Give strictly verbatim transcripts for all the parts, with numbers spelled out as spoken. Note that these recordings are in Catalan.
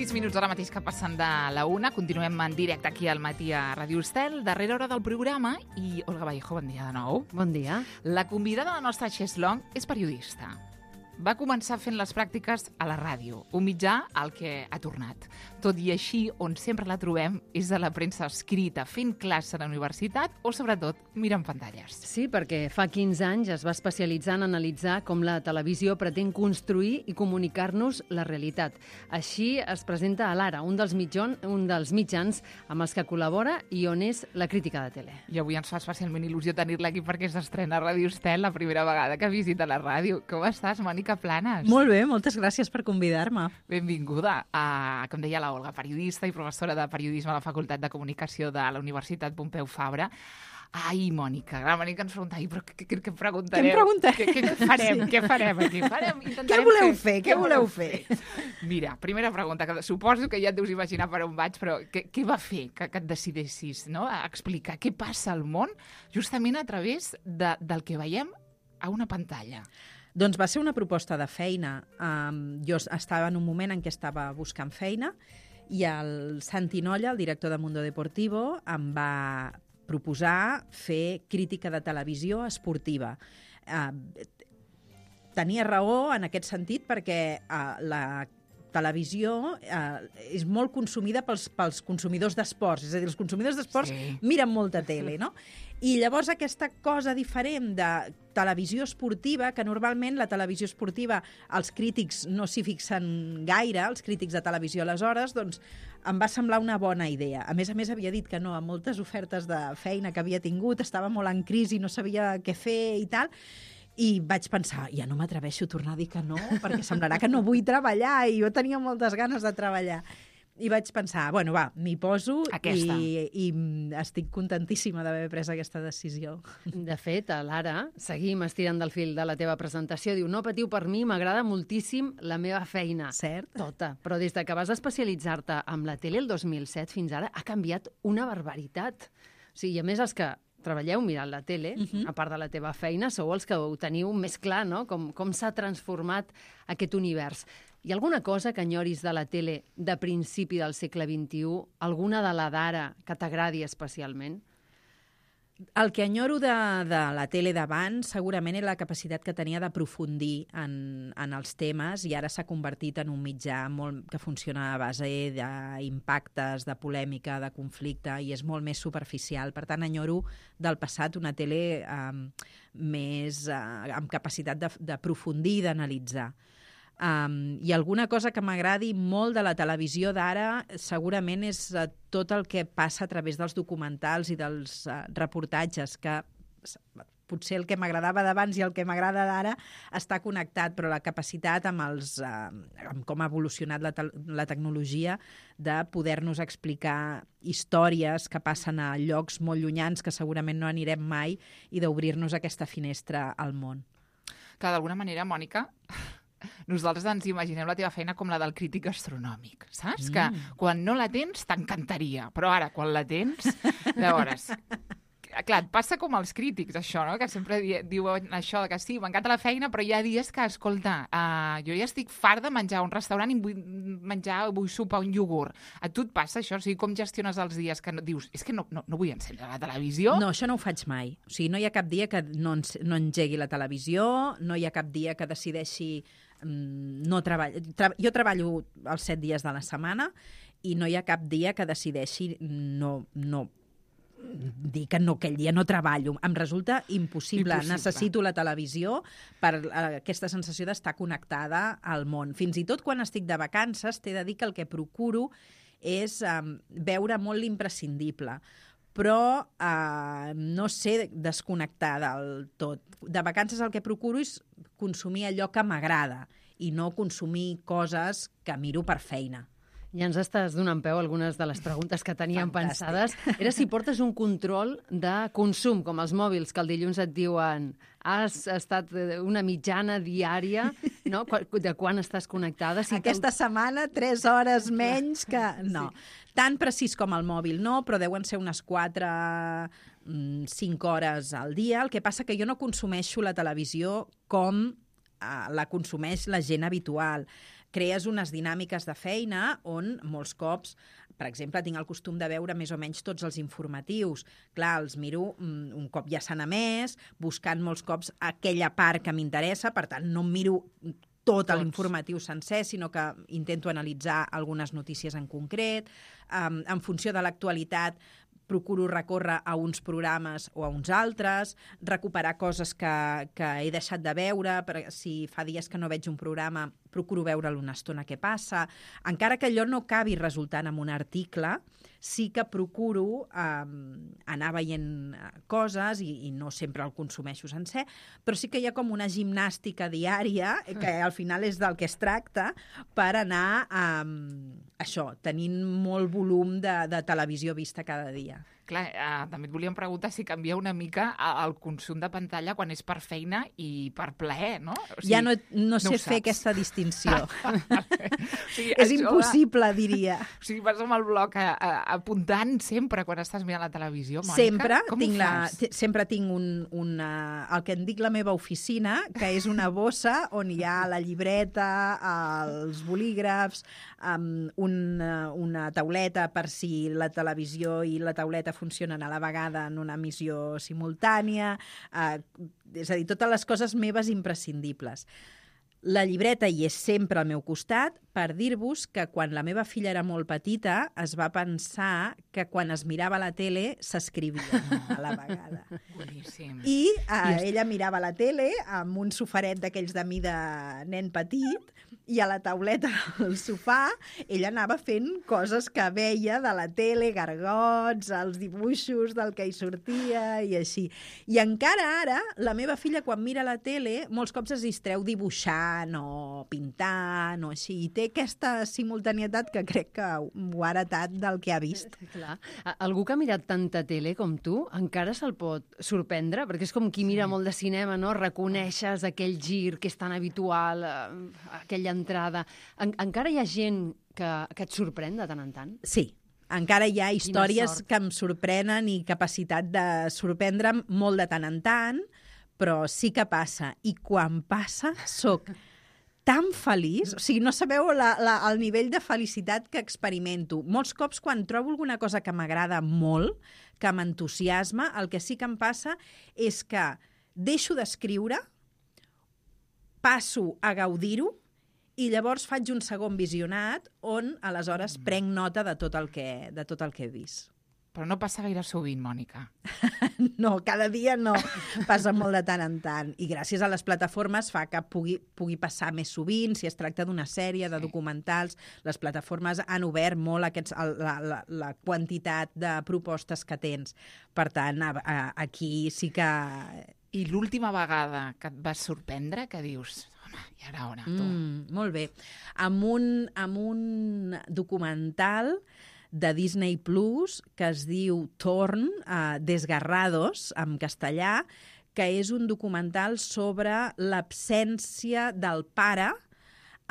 sis minuts ara mateix que passen de la una. Continuem en directe aquí al matí a Ràdio Estel, darrera hora del programa. I Olga Vallejo, bon dia de nou. Bon dia. La convidada de la nostra Xeslong és periodista. Va començar fent les pràctiques a la ràdio, un mitjà al que ha tornat. Tot i així, on sempre la trobem és a la premsa escrita, fent classe a la universitat o, sobretot, mirant pantalles. Sí, perquè fa quinze anys es va especialitzar en analitzar com la televisió pretén construir i comunicar-nos la realitat. Així es presenta a l'Ara, un dels, mitjon, un dels mitjans amb els que col·labora i on és la crítica de tele. I avui ens fa especialment il·lusió tenir-la aquí perquè s'estrena a Ràdio Estel la primera vegada que visita la ràdio. Com estàs, Mònica Planes? Molt bé, moltes gràcies per convidar-me. Benvinguda. A, com deia la Olga, periodista i professora de periodisme a la Facultat de Comunicació de la Universitat Pompeu Fabra. Ai, Mònica, la Mònica ens pregunta, ai, però què, què, què preguntareu? Què em preguntareu? Què, què farem? Sí. Què farem aquí? Farem, què voleu fer? Què voleu fer? Mira, primera pregunta, que suposo que ja et deus imaginar per on vaig, però què, què va fer que, que et decidessis, no?, a explicar què passa al món justament a través de, del que veiem a una pantalla? Doncs va ser una proposta de feina. Um, jo estava en un moment en què estava buscant feina i el Santi Nolla, el director de Mundo Deportivo, em va proposar fer crítica de televisió esportiva. Uh, tenia raó en aquest sentit perquè uh, la televisió uh, és molt consumida pels, pels consumidors d'esports. És a dir, els consumidors d'esports sí. miren molta tele, no? I llavors aquesta cosa diferent de televisió esportiva, que normalment la televisió esportiva els crítics no s'hi fixen gaire, els crítics de televisió aleshores, doncs em va semblar una bona idea. A més a més havia dit que no a moltes ofertes de feina que havia tingut, estava molt en crisi, no sabia què fer i tal, i vaig pensar, ja no m'atreveixo a tornar a dir que no, perquè semblarà que no vull treballar, i jo tenia moltes ganes de treballar. I vaig pensar, bueno, va, m'hi poso i, i estic contentíssima d'haver pres aquesta decisió. De fet, a l'Ara seguim estirant del fil de la teva presentació. Diu, no patiu per mi, m'agrada moltíssim la meva feina. Cert. Tota. Però des de que vas especialitzar-te amb la tele el dos mil set fins ara ha canviat una barbaritat. O sigui, a més, els que treballeu mirant la tele, uh-huh. a part de la teva feina, sou els que ho teniu més clar, no?, com, com s'ha transformat aquest univers. Hi ha alguna cosa que enyoris de la tele de principi del segle vint-i-u? Alguna de la d'ara que t'agradi especialment? El que enyoro de, de la tele d'abans segurament és la capacitat que tenia d'aprofundir en, en els temes, i ara s'ha convertit en un mitjà molt, que funciona a base d'impactes, de polèmica, de conflicte, i és molt més superficial. Per tant, enyoro del passat una tele eh, més eh, amb capacitat d'aprofundir i d'analitzar. Um, I alguna cosa que m'agradi molt de la televisió d'ara segurament és uh, tot el que passa a través dels documentals i dels uh, reportatges, que potser el que m'agradava d'abans i el que m'agrada d'ara està connectat, però la capacitat amb, els, uh, amb com ha evolucionat la, te la tecnologia de poder-nos explicar històries que passen a llocs molt llunyans que segurament no anirem mai, i d'obrir-nos aquesta finestra al món. Clar, d'alguna manera, Mònica, nosaltres ens imaginem la teva feina com la del crític astronòmic, saps? Mm. Que quan no la tens t'encantaria, però ara, quan la tens, llavors... Clar, et passa com als crítics, això, no?, que sempre diuen això, que sí, m'encanta la feina, però hi ha dies que, escolta, uh, jo ja estic fart de menjar a un restaurant i vull menjar, vull sopar un iogurt. A tu et passa això? O sigui, com gestiones els dies que no, dius, és que no, no, no vull encendre la televisió? No, això no ho faig mai. O sigui, no hi ha cap dia que no, no engegui la televisió, no hi ha cap dia que decideixi mm, no treballar. Tra jo treballo els set dies de la setmana i no hi ha cap dia que decideixi no... no dir que no, aquell dia no treballo. Em resulta impossible. impossible. Necessito la televisió per uh, aquesta sensació d'estar connectada al món. Fins i tot quan estic de vacances t'he de dir que el que procuro és um, veure molt l'imprescindible, però uh, no sé desconnectar del tot. De vacances el que procuro és consumir allò que m'agrada i no consumir coses que miro per feina. Ja ens estàs donant peu a algunes de les preguntes que teníem Fantàstic. pensades. Era si portes un control de consum, com els mòbils, que el dilluns et diuen has estat una mitjana diària, no?, de quan estàs connectada. Si Aquesta te... setmana, tres hores menys que... No, sí. Tan precís com el mòbil no, però deuen ser unes quatre, cinc hores al dia. El que passa que jo no consumeixo la televisió com la consumeix la gent habitual. crees unes dinàmiques de feina on molts cops, per exemple, tinc el costum de veure més o menys tots els informatius. Clar, els miro un cop ja s'han emès, buscant molts cops aquella part que m'interessa, per tant, no em miro tot Tots. l'informatiu sencer, sinó que intento analitzar algunes notícies en concret. Um, en funció de l'actualitat, procuro recórrer a uns programes o a uns altres, recuperar coses que, que he deixat de veure, per, si fa dies que no veig un programa, procuro veure'l una estona què passa. Encara que allò no acabi resultant en un article, sí que procuro eh, anar veient coses i, i no sempre el consumeixo sencer, però sí que hi ha com una gimnàstica diària, que al final és del que es tracta, per anar eh, això, tenint molt volum de, de televisió vista cada dia. Clar, eh, també et volíem preguntar si canvia una mica el consum de pantalla quan és per feina i per plaer, no? O sigui, ja no, no, no sé fer aquesta distinció. o sigui, és impossible, de... diria. O sigui, vas amb el bloc a, a, apuntant sempre quan estàs mirant la televisió, Mònica? Sempre. Com tinc ho fas? La, sempre tinc un, una, el que en dic la meva oficina, que és una bossa on hi ha la llibreta, els bolígrafs, um, una, una tauleta per si la televisió i la tauleta funcionen a la vegada en una emissió simultània, eh, és a dir, totes les coses meves imprescindibles. La llibreta hi és sempre al meu costat per dir-vos que quan la meva filla era molt petita es va pensar que quan es mirava la tele s'escrivia a la vegada. Boníssim. I eh, ella mirava la tele amb un sofaret d'aquells de mida nen petit i a la tauleta al sofà ella anava fent coses que veia de la tele, gargots, els dibuixos del que hi sortia i així. I encara ara, la meva filla quan mira la tele molts cops es distreu dibuixant o pintant o així. I té aquesta simultanietat que crec que ho ha heretat del que ha vist. Clar. Algú que ha mirat tanta tele com tu encara se'l pot sorprendre? Perquè és com qui mira sí. molt de cinema, no? Reconeixes aquell gir que és tan habitual, aquella entrada. En, encara hi ha gent que, que et sorprèn de tant en tant? Sí. Encara hi ha històries que em sorprenen i capacitat de sorprendre'm molt de tant en tant, però sí que passa. I quan passa, soc tan feliç, o sigui, no sabeu la, la, el nivell de felicitat que experimento. Molts cops, quan trobo alguna cosa que m'agrada molt, que m'entusiasma, el que sí que em passa és que deixo d'escriure, passo a gaudir-ho, i llavors faig un segon visionat on, aleshores, prenc nota de tot el que, de tot el que he vist. Però no passa gaire sovint, Mònica. No, cada dia no. Passa molt de tant en tant. I gràcies a les plataformes fa que pugui, pugui passar més sovint, si es tracta d'una sèrie, de documentals. Les plataformes han obert molt aquests, la, la, la quantitat de propostes que tens. Per tant, a, a, aquí sí que... I l'última vegada que et vas sorprendre, que dius, home, i ara on, tu? Mm, molt bé. Amb un, amb un documental de Disney Plus, que es diu Torn, uh, Desgarrados, en castellà, que és un documental sobre l'absència del pare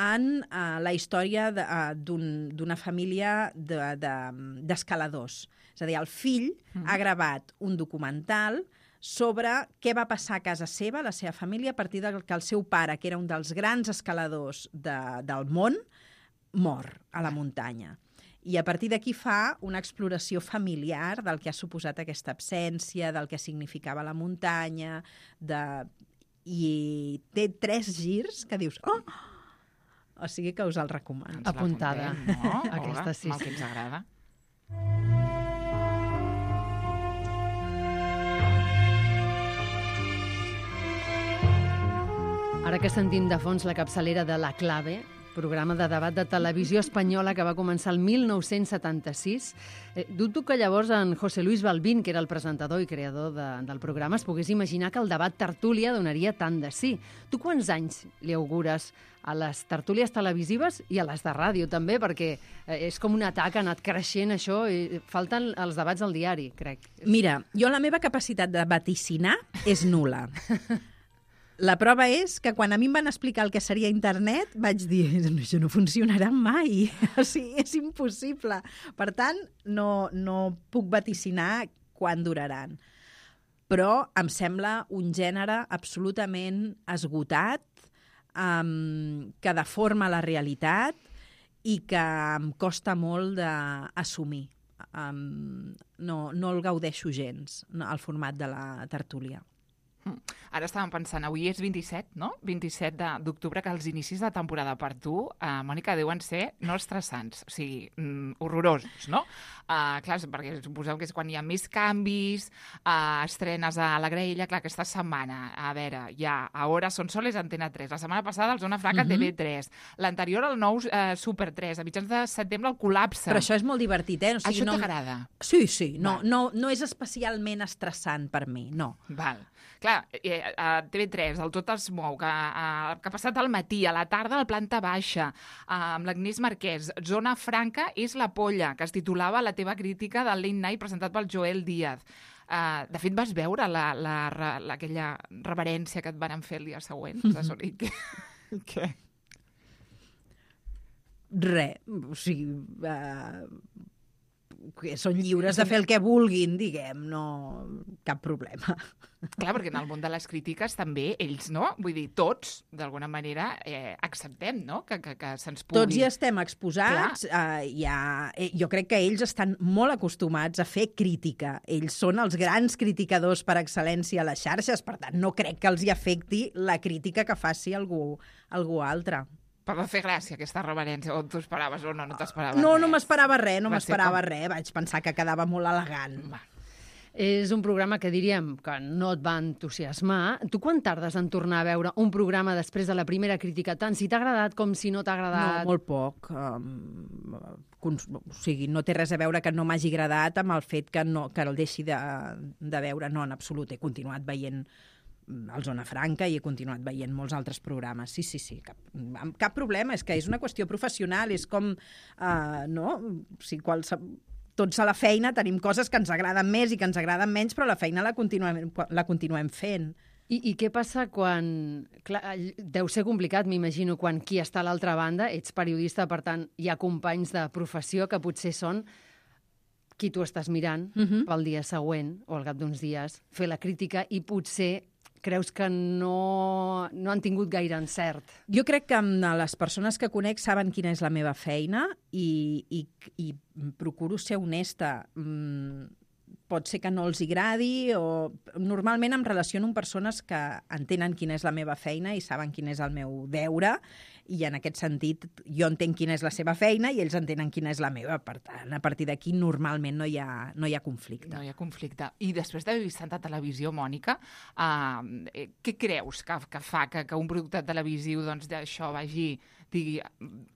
en uh, la història d'una uh, família d'escaladors. De, de, és a dir, el fill mm. ha gravat un documental sobre què va passar a casa seva, la seva família, a partir de que el seu pare, que era un dels grans escaladors de, del món, mor a la muntanya. I a partir d'aquí fa una exploració familiar del que ha suposat aquesta absència, del que significava la muntanya, de... i té tres girs que dius... Oh! O sigui que us el recomano. Apuntada. No? Aquesta sí. Mal que ens agrada. Ara que sentim de fons la capçalera de La Clave, programa de debat de televisió espanyola que va començar el mil nou-cents setanta-sis. Eh, dubto que llavors en José Luis Balbín, que era el presentador i creador de, del programa, es pogués imaginar que el debat tertúlia donaria tant de sí. Tu quants anys li augures a les tertúlies televisives i a les de ràdio també? Perquè eh, és com un atac, ha anat creixent això, i falten els debats al diari, crec. Mira, jo la meva capacitat de vaticinar és nul·la. La prova és que quan a mi em van explicar el que seria internet, vaig dir, això no funcionarà mai, o sigui, és impossible. Per tant, no, no puc vaticinar quan duraran. Però em sembla un gènere absolutament esgotat, um, que deforma la realitat i que em costa molt d'assumir. Um, no, no el gaudeixo gens, no, el format de la tertúlia. Ara estàvem pensant, avui és vint-i-set, no? vint-i-set d'octubre, que els inicis de temporada per tu, uh, Mònica, deuen ser no estressants, o sigui, mm, horrorosos, no? Uh, clar, perquè suposeu que és quan hi ha més canvis, uh, estrenes a la Graella, clar, aquesta setmana, a veure, ja, a Hora Son Soles, Antena tres, la setmana passada, el Zona Franca, uh -huh. T V tres, l'anterior, el nou uh, Super tres, a mitjans de setembre, el Col·lapse. Però això és molt divertit, eh? O sigui, això no... t'agrada? Sí, sí, no, no, no és especialment estressant per mi, no. Val. Clar, eh, a T V tres, el Tot es mou, que, eh, que ha passat al matí, a la tarda, a la planta baixa, eh, amb l'Agnès Marquès. Zona Franca és la polla, que es titulava La teva crítica del Late Night, presentat pel Joel Díaz. Uh, de fet, vas veure la, la, la, la, aquella reverència que et van fer el dia següent? Mm-hmm. I què? Què? Res, o sigui... Uh... que són lliures de fer el que vulguin, diguem, no... cap problema. Clar, perquè en el món de les crítiques també ells, no? Vull dir, tots, d'alguna manera, eh, acceptem, no?, que, que, que se'ns pugui... Tots hi estem exposats. Uh, ja, eh, jo crec que ells estan molt acostumats a fer crítica. Ells són els grans criticadors per excel·lència a les xarxes, per tant, no crec que els hi afecti la crítica que faci algú, algú altre. Per no fer gràcia, aquesta reverència, o t'ho esperaves o no, no t'esperaves No, res. no m'esperava res, no m'esperava com... res. Vaig pensar que quedava molt elegant. Va. És un programa que diríem que no et va entusiasmar. Tu quan tardes en tornar a veure un programa després de la primera crítica, tant si t'ha agradat com si no t'ha agradat? No, molt poc. Um, o sigui, no té res a veure que no m'hagi agradat amb el fet que, no, que el deixi de, de veure. No, en absolut. He continuat veient al Zona Franca i he continuat veient molts altres programes. Sí, sí, sí. Cap, cap problema. És que és una qüestió professional. És com, uh, no? O sigui, qualsevol... Tots a la feina tenim coses que ens agraden més i que ens agraden menys, però la feina la continuem, la continuem fent. I, I què passa quan... Clar, deu ser complicat, m'imagino, quan qui està a l'altra banda, ets periodista, per tant, hi ha companys de professió que potser són qui tu estàs mirant uh-huh. pel dia següent o al cap d'uns dies, fer la crítica i potser creus que no, no han tingut gaire encert. Jo crec que les persones que conec saben quina és la meva feina i, i, i procuro ser honesta. Pot ser que no els agradi o... Normalment em relaciono amb persones que entenen quina és la meva feina i saben quin és el meu deure i en aquest sentit jo entenc quina és la seva feina i ells entenen quina és la meva. Per tant, a partir d'aquí normalment no hi ha, no hi ha conflicte. No hi ha conflicte. I després d'haver vist tanta televisió, Mònica, uh, què creus que, que fa que, que un producte televisiu doncs, d'això vagi digui,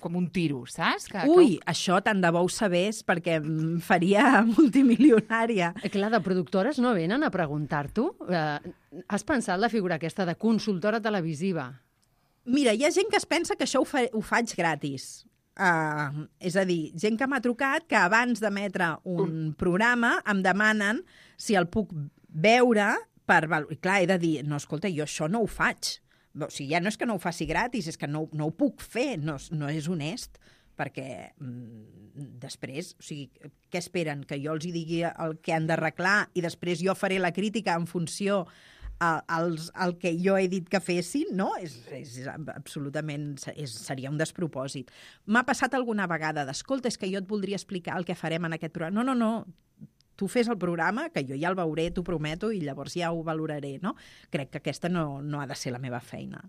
com un tiro, saps? Que, Ui, que... això tant de bo ho sabés perquè em faria multimilionària. Eh, clar, de productores no venen a preguntar-t'ho. Eh, has pensat la figura aquesta de consultora televisiva? Mira, hi ha gent que es pensa que això ho, fa, ho faig gratis. Uh, és a dir, gent que m'ha trucat que abans d'emetre un uh. programa em demanen si el puc veure per... I clar, he de dir, no, escolta, jo això no ho faig. O sigui, ja no és que no ho faci gratis, és que no, no ho puc fer, no, no és honest, perquè mm, després, o sigui, què esperen? Que jo els hi digui el que han d'arreglar i després jo faré la crítica en funció al, al que jo he dit que fessin? No, és, és absolutament, és, seria un despropòsit. M'ha passat alguna vegada d'escolta, és que jo et voldria explicar el que farem en aquest programa. No, no, no, tu fes el programa, que jo ja el veuré, t'ho prometo, i llavors ja ho valoraré, no? Crec que aquesta no, no ha de ser la meva feina.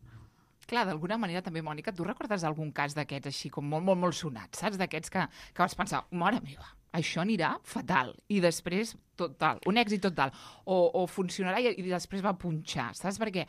Clar, d'alguna manera també, Mònica, tu recordes algun cas d'aquests així com molt, molt, molt sonats, saps? D'aquests que, que vas pensar, mare meva, això anirà fatal, i després total, un èxit total, o, o funcionarà i, i després va punxar, saps? Perquè,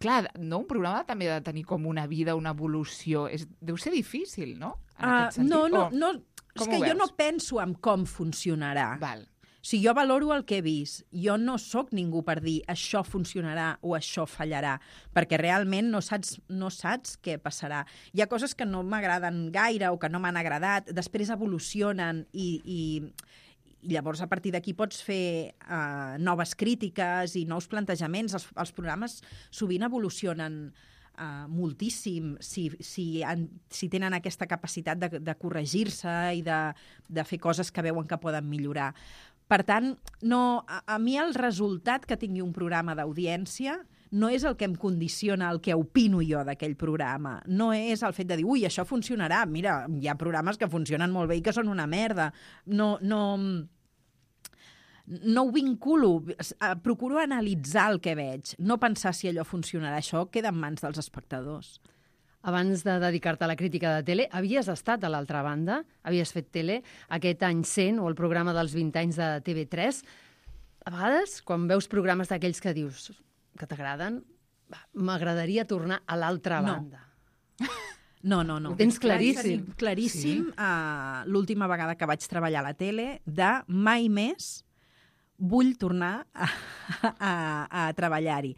clar, no, un programa també ha de tenir com una vida, una evolució, és, deu ser difícil, no? En uh, aquest sentit. No, no, o, no, és que jo no penso en com funcionarà. Val. Si jo valoro el que he vist, jo no sóc ningú per dir això funcionarà o això fallarà, perquè realment no saps, no saps què passarà. Hi ha coses que no m'agraden gaire o que no m'han agradat, després evolucionen i, i, i llavors a partir d'aquí pots fer uh, noves crítiques i nous plantejaments. Els, els programes sovint evolucionen Uh, moltíssim si, si, han, si tenen aquesta capacitat de, de corregir-se i de, de fer coses que veuen que poden millorar. Per tant, no, a, a mi el resultat que tingui un programa d'audiència no és el que em condiciona el que opino jo d'aquell programa. No és el fet de dir, ui, això funcionarà. Mira, hi ha programes que funcionen molt bé i que són una merda. No... no no ho vinculo, procuro analitzar el que veig, no pensar si allò funcionarà. Això queda en mans dels espectadors. Abans de dedicar-te a la crítica de tele, havies estat a l'altra banda, havies fet tele, aquest any cent, o el programa dels vint anys de T V tres. A vegades, quan veus programes d'aquells que dius que t'agraden, m'agradaria tornar a l'altra no. banda. No, no, no. Ho tens claríssim. Claríssim, claríssim sí? uh, l'última vegada que vaig treballar a la tele, de mai més vull tornar a, a, a treballar-hi.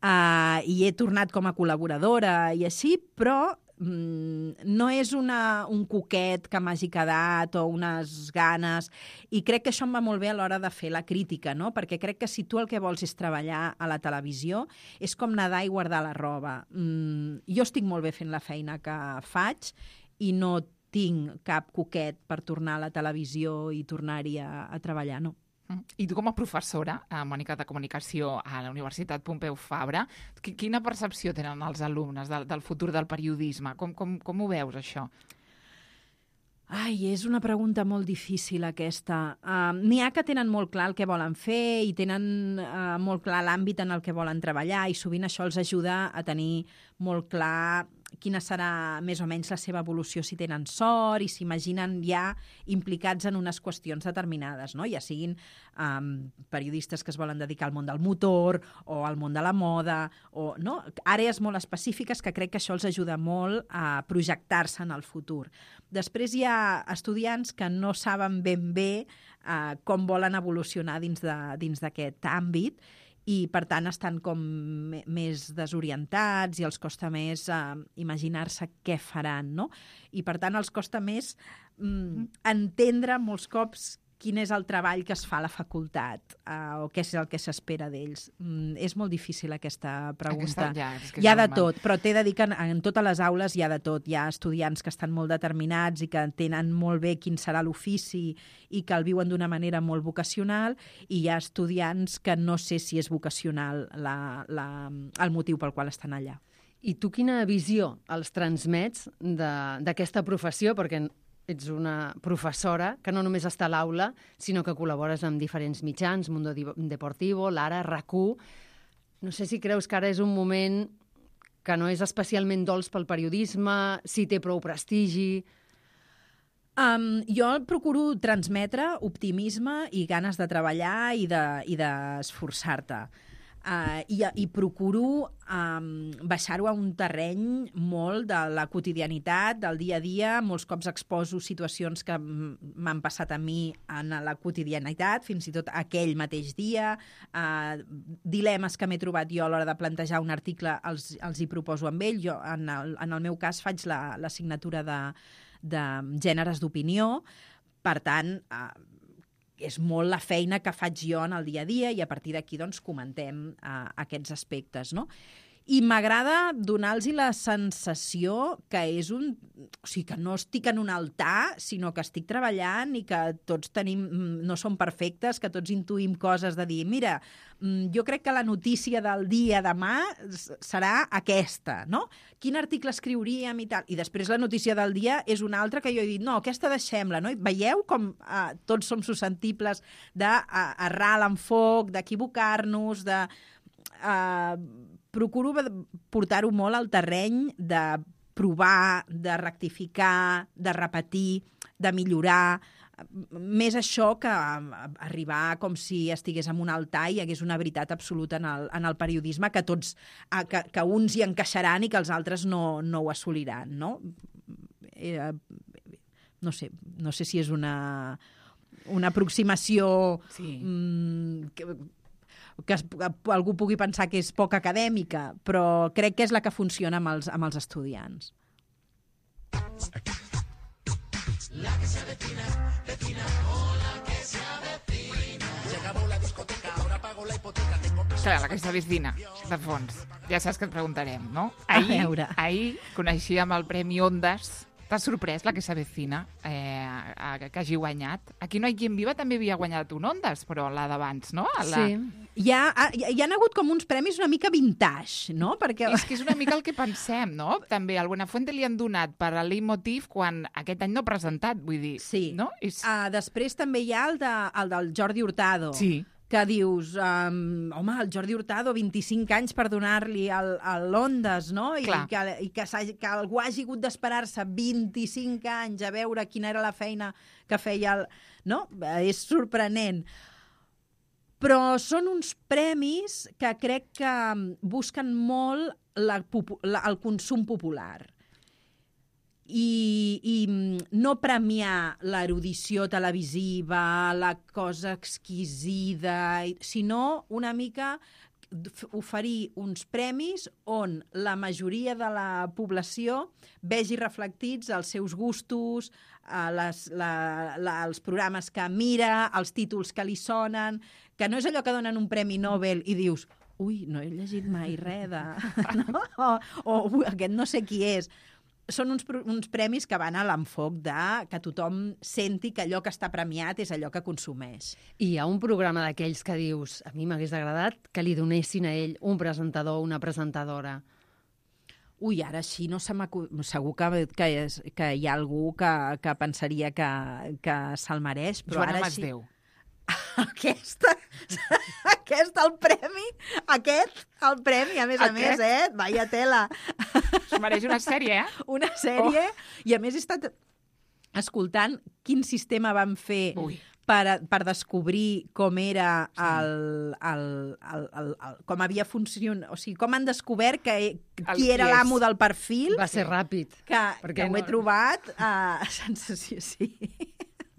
Uh, I he tornat com a col·laboradora i així, però mm, no és una, un coquet que m'hagi quedat o unes ganes. I crec que això em va molt bé a l'hora de fer la crítica, no? Perquè crec que si tu el que vols és treballar a la televisió, és com nedar i guardar la roba. Mm, jo estic molt bé fent la feina que faig i no tinc cap coquet per tornar a la televisió i tornar-hi a, a treballar, no. I tu com a professora, eh, Mònica, de comunicació a la Universitat Pompeu Fabra, quina percepció tenen els alumnes del, del futur del periodisme? Com, com, com ho veus, això? Ai, és una pregunta molt difícil, aquesta. Uh, N'hi ha que tenen molt clar el que volen fer i tenen uh, molt clar l'àmbit en el que volen treballar i sovint això els ajuda a tenir molt clar quina serà més o menys la seva evolució si tenen sort i s'imaginen ja implicats en unes qüestions determinades, no? Ja siguin um, periodistes que es volen dedicar al món del motor o al món de la moda, o no? Àrees molt específiques que crec que això els ajuda molt a projectar-se en el futur. Després hi ha estudiants que no saben ben bé uh, com volen evolucionar dins de, dins d'aquest àmbit i, per tant, estan com més desorientats i els costa més eh, imaginar-se què faran, no? I, per tant, els costa més mm, entendre molts cops quin és el treball que es fa a la facultat eh, o què és el que s'espera d'ells. Mm, és molt difícil aquesta pregunta. Aquesta, ja, és que hi ha de normal. tot, però t'he de dir que en, en totes les aules hi ha de tot. Hi ha estudiants que estan molt determinats i que tenen molt bé quin serà l'ofici i que el viuen d'una manera molt vocacional, i hi ha estudiants que no sé si és vocacional la, la, el motiu pel qual estan allà. I tu quina visió els transmets d'aquesta professió? Perquè ets una professora que no només està a l'aula, sinó que col·labores amb diferents mitjans, Mundo Deportivo, l'Ara, RAC u. No sé si creus que ara és un moment que no és especialment dolç pel periodisme, si té prou prestigi. Um, jo procuro transmetre optimisme i ganes de treballar i d'esforçar-te. De, Uh, i, i procuro um, baixar-ho a un terreny molt de la quotidianitat, del dia a dia. Molts cops exposo situacions que m'han passat a mi en la quotidianitat, fins i tot aquell mateix dia. Uh, dilemes que m'he trobat jo a l'hora de plantejar un article els, els hi proposo amb ell. Jo, en el, en el meu cas, faig l'assignatura de, de gèneres d'opinió. Per tant, uh, és molt la feina que faig jo en el dia a dia i a partir d'aquí doncs, comentem uh, aquests aspectes, no? I m'agrada donar-los la sensació que és un... O sigui, que no estic en un altar, sinó que estic treballant i que tots tenim... no som perfectes, que tots intuïm coses de dir, mira, jo crec que la notícia del dia demà serà aquesta, no? Quin article escriuríem i tal? I després la notícia del dia és una altra que jo he dit, no, aquesta deixem-la, no? I veieu com eh, tots som susceptibles d'errar l'enfoc, d'equivocar-nos, de... Eh, procuro portar-ho molt al terreny de provar, de rectificar, de repetir, de millorar. Més això que arribar com si estigués en un altar i hi hagués una veritat absoluta en el, en el periodisme que tots, que, que uns hi encaixaran i que els altres no, no ho assoliran, no? Eh, no sé, no sé si és una, una aproximació... Sí. Mm, que, que algú pugui pensar que és poc acadèmica, però crec que és la que funciona amb els, amb els estudiants. La que se avecina, vecina, hola que se avecina. Se acabó la discoteca, ahora pago la hipoteca. Clar, la que se avecina, de fons. Ja saps que et preguntarem, no? Ahir, ahir coneixíem el Premi Ondas T'ha sorprès la que s'avecina, eh, que hagi guanyat? Aquí No hi quien viva també havia guanyat un Ondas, però la d'abans, no? La... Sí. Hi ha, hi, hi ha hagut com uns premis una mica vintage, no? Perquè... És que és una mica el que pensem, no? També al Buenafuente li han donat per al Leitmotiv quan aquest any no ha presentat, vull dir, Sí. no? És... Uh, després també hi ha el, de, el del Jordi Hurtado. Sí. Que dius, um, home, el Jordi Hurtado, vint-i-cinc anys per donar-li l'Ondas, no? I Clar. que, i que, que algú hagi hagut d'esperar-se vint-i-cinc anys a veure quina era la feina que feia el... No? És sorprenent. Però són uns premis que crec que busquen molt la, la, el consum popular. I, i no premiar l'erudició televisiva, la cosa exquisida, sinó una mica oferir uns premis on la majoria de la població vegi reflectits els seus gustos, les, la, la, els programes que mira, els títols que li sonen, que no és allò que donen un premi Nobel i dius ui, no he llegit mai res de... No? O, o aquest no sé qui és. Són uns, uns premis que van a l'enfoc de que tothom senti que allò que està premiat és allò que consumeix. I hi ha un programa d'aquells que dius, a mi m'hagués agradat que li donessin a ell un presentador o una presentadora. Ui, ara així no se m'acu... Segur que, que, és, que hi ha algú que, que pensaria que, que se'l mereix, però Joana ara Masdeu. així... Aquesta, aquest, el premi, aquest, el premi, a més a Aquest? més, eh? Vaya tela. Es mereix una sèrie, eh? Una sèrie, oh. I a més he estat escoltant quin sistema van fer Ui. per, per descobrir com era el, el, el, el, el, com havia funcionat, o sigui, com han descobert que, qui era l'amo del perfil. Va ser ràpid. Que, perquè que ho he no- trobat uh, sensació, sí.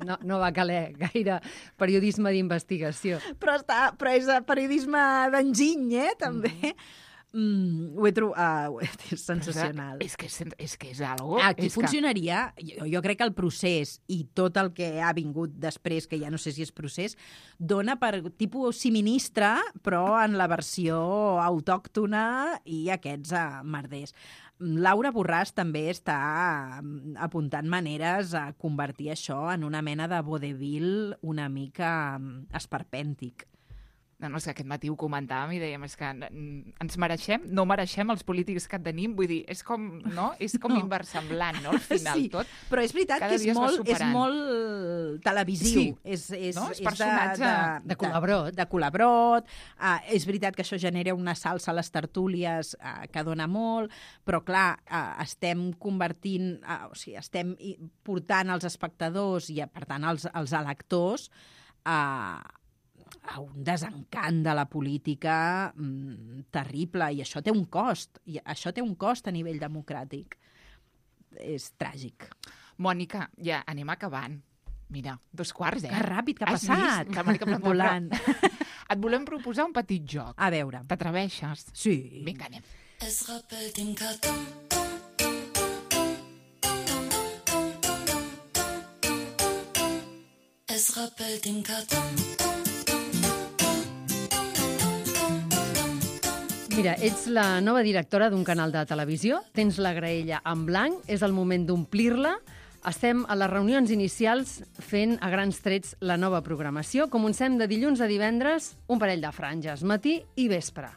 No, no va caler gaire periodisme d'investigació. Però, està, però és periodisme d'enginy, eh, també. Mm, ho he trobat... Uh, és sensacional. És que és, és, que és algo... Aquí és funcionaria, jo, jo crec que el procés i tot el que ha vingut després, que ja no sé si és procés, dona per tipus siministre, però en la versió autòctona i aquests uh, merders. Laura Borràs també està mm, apuntant maneres a convertir això en una mena de vodevil una mica mm, esperpèntic. No, no, és que aquest matí ho comentàvem i dèiem, és que ens mereixem, no mereixem els polítics que tenim, vull dir, és com, no? És com No. inversemblant, no?, al final, Sí, tot. però és veritat cada que és dia es va molt, és superant. molt televisiu. Sí. És, és, No? És és personatge de, de, de colabrot. De, de colabrot. Uh, és veritat que això genera una salsa a les tertúlies uh, que dona molt, però clar, uh, estem convertint, uh, o sigui, estem i- portant els espectadors i, per tant, els, els electors a... a un desencant de la política mm, terrible, i això té un cost, i això té un cost a nivell democràtic. És tràgic. Mònica, ja anem acabant. Mira, dos quarts, eh? Que ràpid que ha Has passat. vist? La Mònica Plantar, Volant. però Et volem proposar un petit joc. A veure. T'atreveixes? Sí. Vinga, anem. Es rappelt im Karton. Es rappelt im Karton. Mira, ets la nova directora d'un canal de televisió, tens la graella en blanc, és el moment d'omplir-la. Estem a les reunions inicials fent a grans trets la nova programació. Comencem de dilluns a divendres, un parell de franges, matí i vespre.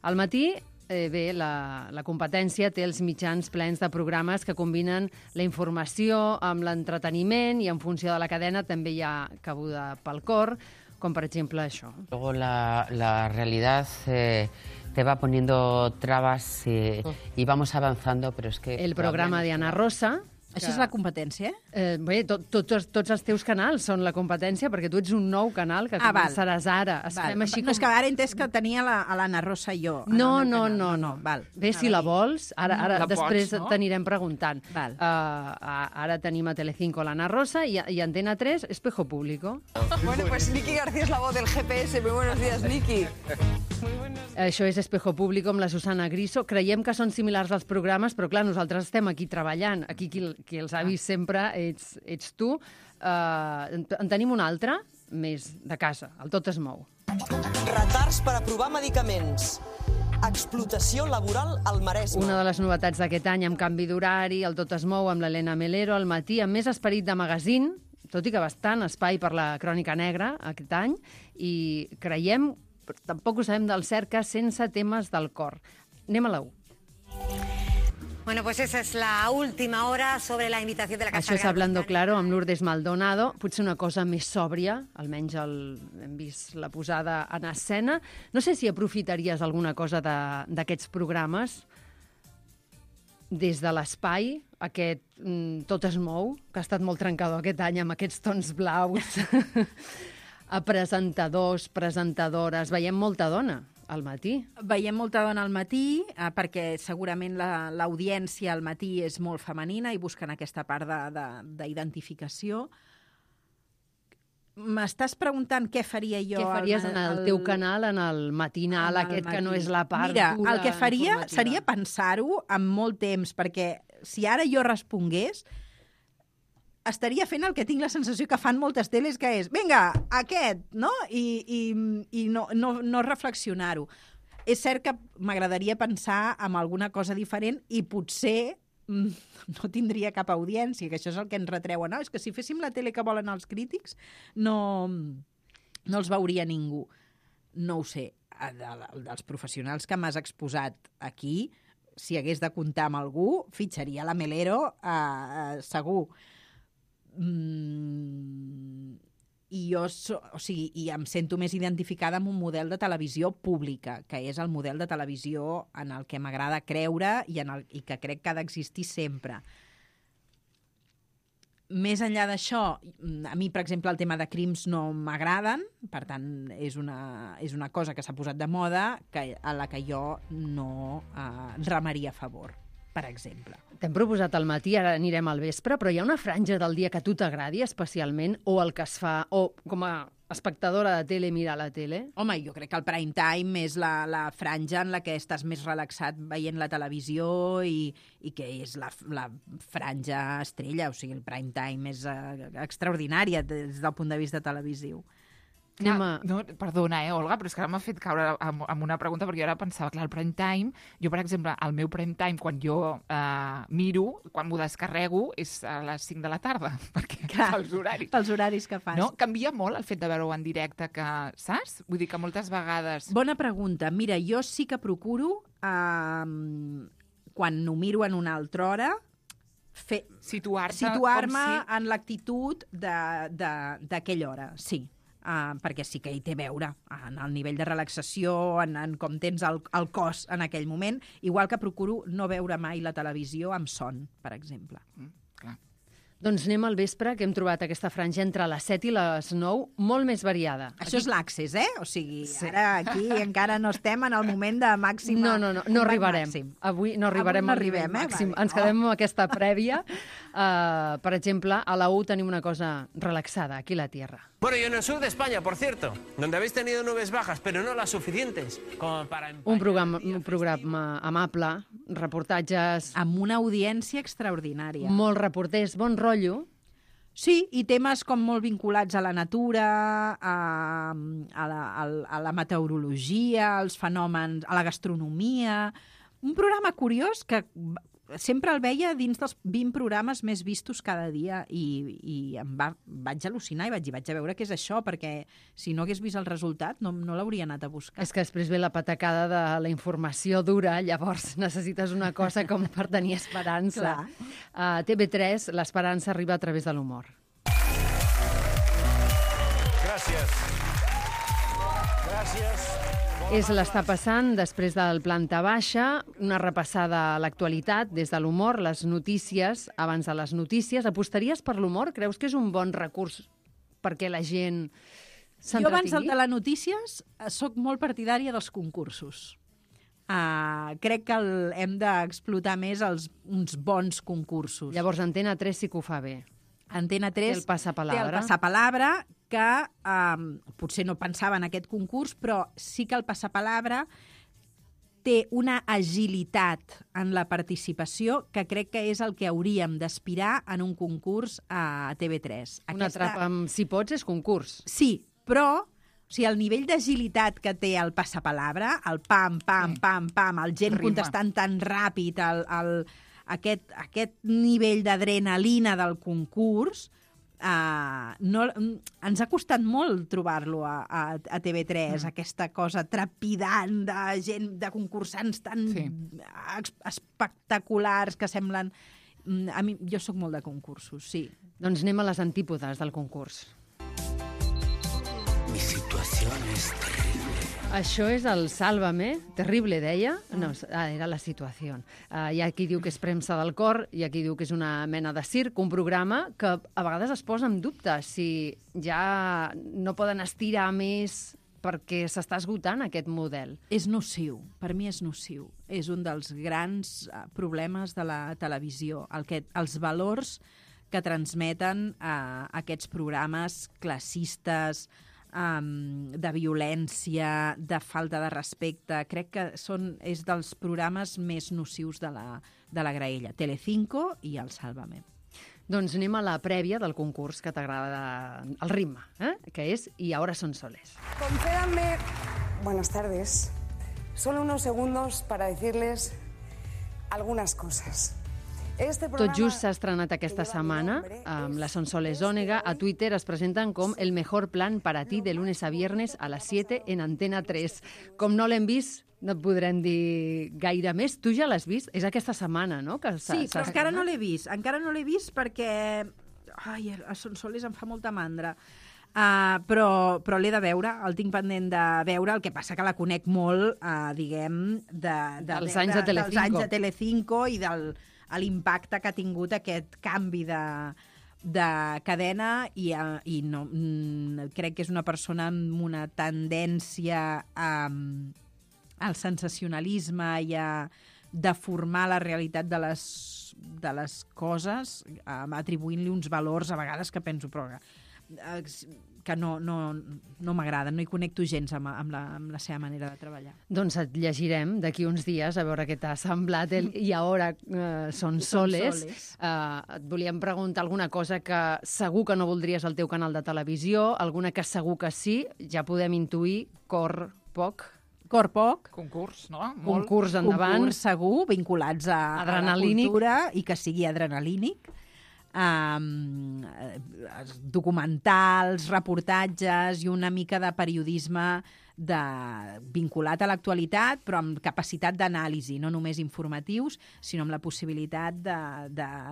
Al matí, eh, bé, la, la competència té els mitjans plens de programes que combinen la informació amb l'entreteniment i en funció de la cadena també hi ha cabuda pel cor, com per exemple això. Luego la, la realidad eh, te va poniendo trabas eh, y vamos avanzando, pero es que... El programa de Ana Rosa. Això és la competència, eh? Eh, bé, tot, tots, tots els teus canals són la competència, perquè tu ets un nou canal que Ah, val. començaràs ara. Es Val. fem així No, com... és que ara he entès que tenia la, a l'Anna Rosa i jo. en No, el meu no, canal. no, no. Val. Bé, si la vols, ara, ara La pots, després no? t'anirem preguntant. Val. Uh, ara tenim a Telecinco l'Anna Rosa i, i Antena tres, Espejo Público. Bueno, pues Nicky García es la voz del G P S. Muy buenos días, Nicky. Això és Espejo Público amb la Susana Griso. Creiem que són similars als programes, però clar, nosaltres estem aquí treballant. Aquí qui, qui els ha vist sempre ets, ets tu. Uh, en, en tenim un altre, més de casa. El Tot es mou. Retards per aprovar medicaments. explotació laboral al Maresme. Una de les novetats d'aquest any amb canvi d'horari, el Tot es mou amb l'Helena Melero al matí, amb més esperit de magazín, tot i que bastant espai per la crònica negra aquest any, i creiem, tampoc ho sabem del cert, que sense temes del cor. Anem a la u. Bueno, pues esa es la última hora sobre la invitación de la Casa Això és Real Hablando Británica. Claro, amb Lourdes Maldonado. Potser una cosa més sòbria, almenys el, hem vist la posada en escena. No sé si aprofitaries alguna cosa d'aquests programes des de l'espai, aquest mm, Tot es mou, que ha estat molt trencador aquest any amb aquests tons blaus, a presentadors, presentadores. Veiem molta dona al matí. Veiem molta dona al matí, eh, perquè segurament la- l'audiència al matí és molt femenina i busquen aquesta part de- de- d'identificació. M'estàs preguntant què faria jo... Què faries en el teu canal, en el matinal, en el aquest que matí? no és la part Mira, dura el que faria informativa? seria pensar-ho amb molt temps, perquè si ara jo respongués, estaria fent el que tinc la sensació que fan moltes teles, que és, vinga, aquest, no? I, i, i no, no, no reflexionar-ho. És cert que m'agradaria pensar en alguna cosa diferent i potser mm, no tindria cap audiència, que això és el que ens retreuen. No, és que si féssim la tele que volen els crítics, no, no els veuria ningú. No ho sé. De, dels professionals que m'has exposat aquí, si hagués de comptar amb algú, fitxaria la Melero, eh, segur. Mm, i jo so, o sigui, i em sento més identificada amb un model de televisió pública, que és el model de televisió en el que m'agrada creure i, en el, i que crec que ha d'existir sempre. Més enllà d'això, a mi, per exemple, el tema de crims no m'agraden, per tant, és una, és una cosa que s'ha posat de moda que, a la que jo no eh, remaria a favor, per exemple. T'hem proposat al matí, ara anirem al vespre, però hi ha una franja del dia que a tu t'agradi especialment, o el que es fa, o com a espectadora de tele mirar la tele? Home, jo crec que el prime time és la, la franja en la que estàs més relaxat veient la televisió i, i que és la, la franja estrella, o sigui, el prime time és uh, extraordinària des del punt de vista televisiu. Anem a... No, perdona, eh, Olga, però és que ara m'ha fet caure amb, amb una pregunta, perquè jo ara pensava, clar, el prime time, jo, per exemple, el meu prime time, quan jo eh, miro, quan m'ho descarrego, és a les cinc de la tarda, perquè Clar, els horaris. Pels horaris que fas. No? Canvia molt el fet de veure-ho en directe, que, saps? Vull dir que moltes vegades... Bona pregunta. Mira, jo sí que procuro, eh, quan ho miro en una altra hora, fer, Situar-se situar-me com si... en l'actitud d'aquella hora, sí. Uh, perquè sí que hi té a veure en el nivell de relaxació, en, en com tens el, el cos en aquell moment, igual que procuro no veure mai la televisió amb son, per exemple. Mm, clar. Doncs anem al vespre, que hem trobat aquesta franja entre les set i les nou, molt més variada. Això és l'accés, eh? O sigui, sí. Ara aquí encara no estem en el moment de màxima... No, no, no, no arribarem. Màxim. Avui no arribarem Avui no al nivell arribem, eh? màxim. Vale. Ens quedem amb aquesta prèvia. Uh, per exemple, a la U tenim una cosa relaxada, aquí a la Tierra. Bueno, y en el sur de España, por cierto, donde habéis tenido nubes bajas, pero no las suficientes como para... Un programa, un programa amable, reportatges, Amb una audiència extraordinària. molt reporters, bon rotllo. Sí, i temes com molt vinculats a la natura, a, a, la, a, a la meteorologia, als fenòmens, a la gastronomia... Un programa curiós que sempre el veia dins dels vint programes més vistos cada dia i, i em va, vaig al·lucinar i vaig dir, vaig a veure què és això, perquè si no hagués vist el resultat no, no l'hauria anat a buscar. És que després ve la patacada de la informació dura, llavors necessites una cosa com per tenir esperança. Clar. A T V tres, l'esperança arriba a través de l'humor. Gracias. Gracias. És l'està passant després del planta baixa, una repassada a l'actualitat des de l'humor, les notícies, abans de les notícies. Apostaries per l'humor? Creus que és un bon recurs perquè la gent s'entretingui? Jo abans del telenotícies sóc molt partidària dels concursos. Uh, crec que el, hem d'explotar més els, uns bons concursos. Llavors, Antena tres sí que ho fa bé. Antena tres Té el passapalabra. té el passapalabra, que um, potser no pensava en aquest concurs, però sí que el passapalabra té una agilitat en la participació que crec que és el que hauríem d'aspirar en un concurs a T V tres. Una trapa amb si pots és concurs. Sí, però O sigui, el nivell d'agilitat que té el passapalabra, el pam, pam, Sí. pam, pam, el gent Rima. contestant tan ràpid, el, el, aquest, aquest nivell d'adrenalina del concurs, uh, no, ens ha costat molt trobar-lo a, a, a T V tres, mm. aquesta cosa trepidant de gent, de concursants tan Sí. ex- espectaculars que semblen... Mm, A mi, jo sóc molt de concursos, sí. Doncs anem a les antípodes del concurs. Mi situación es terrible. Això és el Sálvame, terrible, deia. No, ah, era la situació. Uh, hi ha qui diu que és premsa del cor, hi ha qui diu que és una mena de circ, un programa que a vegades es posa en dubte si ja no poden estirar més perquè s'està esgotant aquest model. És nociu, per mi és nociu. És un dels grans eh, problemes de la televisió, el que, els valors que transmeten eh, aquests programes classistes, um, de violència, de falta de respecte. Crec que són, és dels programes més nocius de la, de la graella. Telecinco i el Sálvame. Doncs anem a la prèvia del concurs que t'agrada el ritme, eh? que és I ahora son soles. Concédanme, buenas tardes, solo unos segundos para decirles algunas cosas. Este Tot programa... just s'ha estrenat aquesta setmana amb la Sonsoles Ònega. A Twitter es presenten com el mejor plan para ti de lunes a viernes a las siete en Antena tres. Com no l'hem vist, no et podrem dir gaire més. Tu ja l'has vist? És aquesta setmana, no? Que Sí, però encara no l'he vist. Encara no l'he vist perquè... Ai, a Sonsoles em fa molta mandra. Uh, però però l'he de veure, el tinc pendent de veure, el que passa que la conec molt, uh, diguem, de, de, Dels anys de Telecinco. dels anys de Telecinco i del l'impacte que ha tingut aquest canvi de, de cadena i, uh, i no, mm, crec que és una persona amb una tendència a, al sensacionalisme i a deformar la realitat de les, de les coses, uh, atribuint-li uns valors a vegades que penso, però que no, no, no m'agrada, no hi connecto gens amb, amb, la, amb la seva manera de treballar. Doncs et llegirem d'aquí uns dies a veure què t'ha semblat el I ahora eh, son soles. soles. Eh, et volíem preguntar alguna cosa que segur que no voldries al teu canal de televisió, alguna que segur que sí, ja podem intuir, cor poc. Cor poc, Concurs, no? Molt. Concurs endavant. concurs segur, vinculats a, a la Adrenalínic. cultura i que sigui adrenalínic. Um, documentals, reportatges i una mica de periodisme de, vinculat a l'actualitat, però amb capacitat d'anàlisi, no només informatius, sinó amb la possibilitat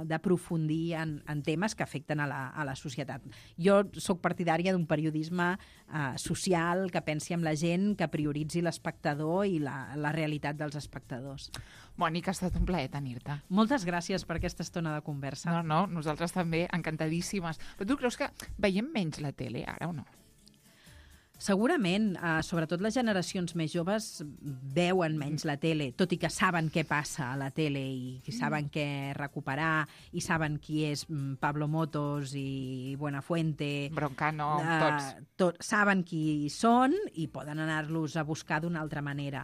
d'aprofundir en, en temes que afecten a la, a la societat. Jo sóc partidària d'un periodisme uh, social que pensi en la gent, que prioritzi l'espectador i la, la realitat dels espectadors. Mònica, ha estat un plaer tenir-te. Moltes gràcies per aquesta estona de conversa. No, no, nosaltres també, encantadíssimes. Però tu creus que veiem menys la tele ara o no? Segurament, eh, sobretot les generacions més joves veuen menys la tele, tot i que saben què passa a la tele i saben què recuperar i saben qui és mm, Pablo Motos i Buenafuente. Broncano, Eh, tots. tot, saben qui són i poden anar-los a buscar d'una altra manera.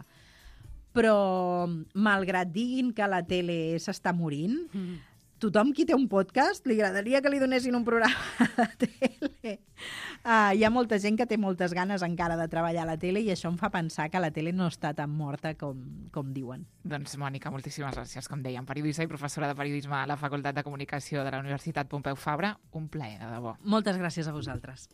Però, malgrat diguin que la tele s'està morint, mm. tothom qui té un podcast li agradaria que li donessin un programa de tele. Uh, hi ha molta gent que té moltes ganes encara de treballar a la tele i això em fa pensar que la tele no està tan morta com, com diuen. Doncs, Mònica, moltíssimes gràcies. Com dèiem, periodista i professora de periodisme a la Facultat de Comunicació de la Universitat Pompeu Fabra. Un plaer, de debò. Moltes gràcies a vosaltres.